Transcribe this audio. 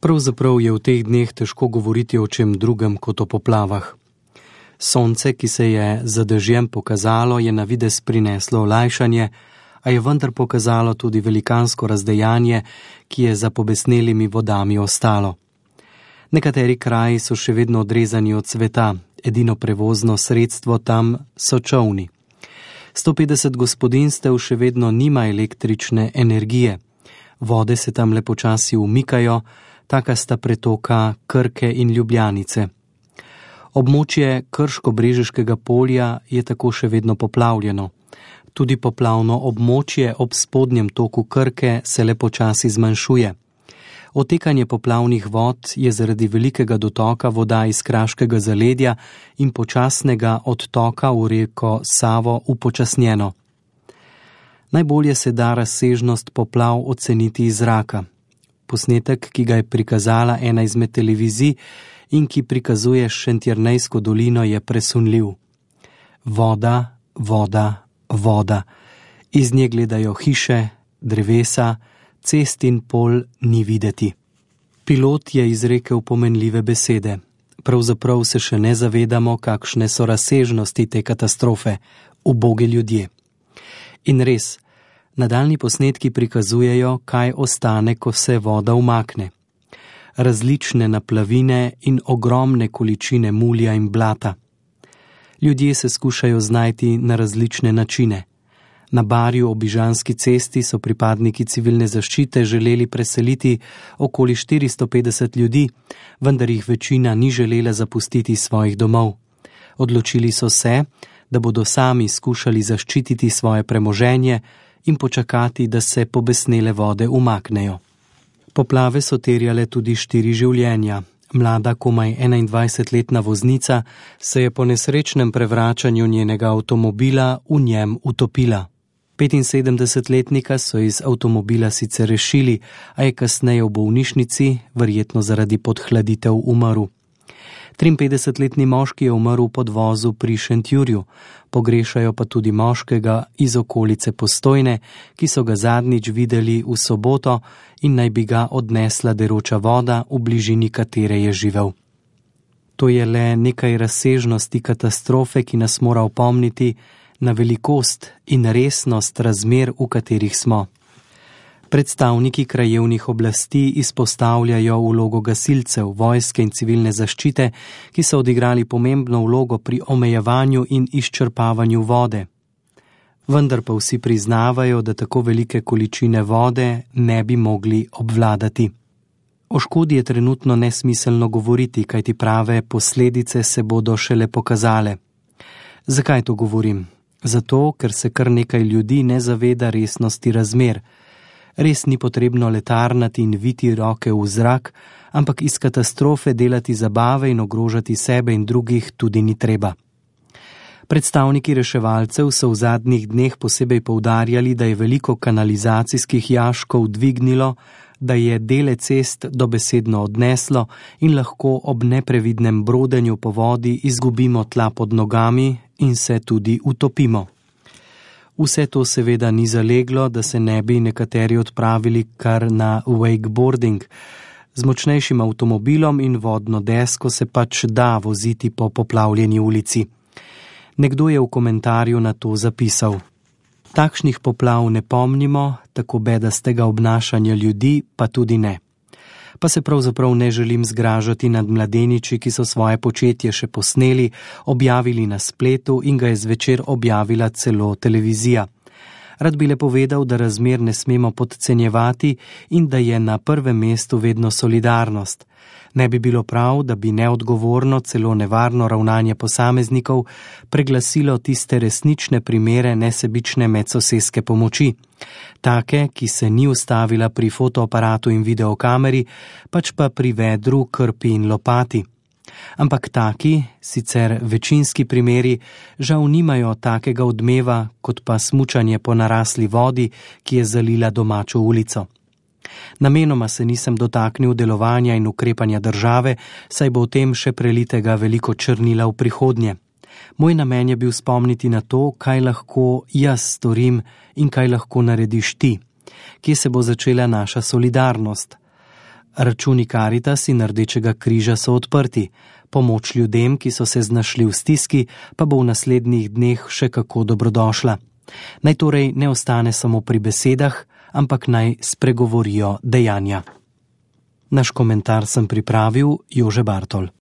Pravzaprav je v teh dneh težko govoriti o čem drugem kot o poplavah. Sonce, ki se je za dežjem pokazalo, je na videz prineslo olajšanje, a je vendar pokazalo tudi velikansko razdejanje, ki je za pobesnelimi vodami ostalo. Nekateri kraji so še vedno odrezani od sveta, edino prevozno sredstvo tam so čolni. 150 gospodinjstev še vedno nima električne energije. Vode se tam le počasi umikajo, taka sta pretoka Krke in Ljubljanice. Območje Krško-Brežiškega polja je tako še vedno poplavljeno. Tudi poplavno območje ob spodnjem toku Krke se le počasi zmanjšuje. Otekanje poplavnih vod je zaradi velikega dotoka voda iz kraškega zaledja in počasnega odtoka v reko Savo upočasnjeno. Najbolje se da razsežnost poplav oceniti iz zraka. Posnetek, ki ga je prikazala ena izmed televizij in ki prikazuje Šentjernejsko dolino, je presunljiv. Voda, voda, voda. Iz nje gledajo hiše, drevesa, cest in pol ni videti. Pilot je izrekel pomenljive besede. Pravzaprav se še ne zavedamo, kakšne so razsežnosti te katastrofe, ubogi ljudje. In res, nadaljnji posnetki prikazujejo, kaj ostane, ko se voda umakne. Različne naplavine in ogromne količine mulja in blata. Ljudje se skušajo znajti na različne načine. Na Barju ob Ižanski cesti so pripadniki civilne zaščite želeli preseliti okoli 450 ljudi, vendar jih večina ni želela zapustiti svojih domov. Odločili so se, da bodo sami skušali zaščititi svoje premoženje in počakati, da se pobesnele vode umaknejo. Poplave so terjale tudi 4 življenja. Mlada, komaj 21-letna voznica se je po nesrečnem prevračanju njenega avtomobila v njem utopila. 75-letnika so iz avtomobila sicer rešili, a je kasneje v bolnišnici, verjetno zaradi podhladitev, umrl. 53-letni moški je umrl v podvozu pri Šentjurju, pogrešajo pa tudi moškega iz okolice Postojne, ki so ga zadnjič videli v soboto in naj bi ga odnesla deroča voda, v bližini katere je živel. To je le nekaj razsežnosti katastrofe, ki nas mora opomniti na velikost in resnost razmer, v katerih smo. Predstavniki krajevnih oblasti izpostavljajo vlogo gasilcev, vojske in civilne zaščite, ki so odigrali pomembno vlogo pri omejevanju in izčrpavanju vode. Vendar pa vsi priznavajo, da tako velike količine vode ne bi mogli obvladati. O škodi je trenutno nesmiselno govoriti, kajti prave posledice se bodo šele pokazale. Zakaj to govorim? Zato, ker se kar nekaj ljudi ne zaveda resnosti razmer. Res ni potrebno letarnati in viti roke v zrak, ampak iz katastrofe delati zabave in ogrožati sebe in drugih tudi ni treba. Predstavniki reševalcev so v zadnjih dneh posebej poudarjali, da je veliko kanalizacijskih jaškov dvignilo, da je dele cest dobesedno odneslo in lahko ob neprevidnem brodenju po vodi izgubimo tla pod nogami in se tudi utopimo. Vse to seveda ni zaleglo, da se ne bi nekateri odpravili kar na wakeboarding. Z močnejšim avtomobilom in vodno desko se pač da voziti po poplavljeni ulici. Nekdo je v komentarju na to zapisal: takšnih poplav ne pomnimo, tako bedastega obnašanja ljudi pa tudi ne. Pa se pravzaprav ne želim zgražati nad mladeniči, ki so svoje početje še posneli, objavili na spletu in ga je zvečer objavila celo televizija. Rad bi le povedal, da razmer ne smemo podcenjevati in da je na prvem mestu vedno solidarnost. Ne bi bilo prav, da bi neodgovorno, celo nevarno ravnanje posameznikov preglasilo tiste resnične primere nesebične medsosedske pomoči. Take, ki se ni ustavila pri fotoaparatu in videokameri, pač pa pri vedru, krpi in lopati. Ampak taki, sicer večinski primeri, žal nimajo takega odmeva, kot pa smučanje po narasli vodi, ki je zalila domačo ulico. Namenoma se nisem dotaknil delovanja in ukrepanja države, saj bo o tem še prelitega veliko črnila v prihodnje. Moj namen je bil spomniti na to, kaj lahko jaz storim in kaj lahko narediš ti. Kje se bo začela naša solidarnost? Računi Karitas in Rdečega križa so odprti. Pomoč ljudem, ki so se znašli v stiski, pa bo v naslednjih dneh še kako dobrodošla. Naj torej ne ostane samo pri besedah, ampak naj spregovorijo dejanja. Naš komentar sem pripravil Jože Bartol.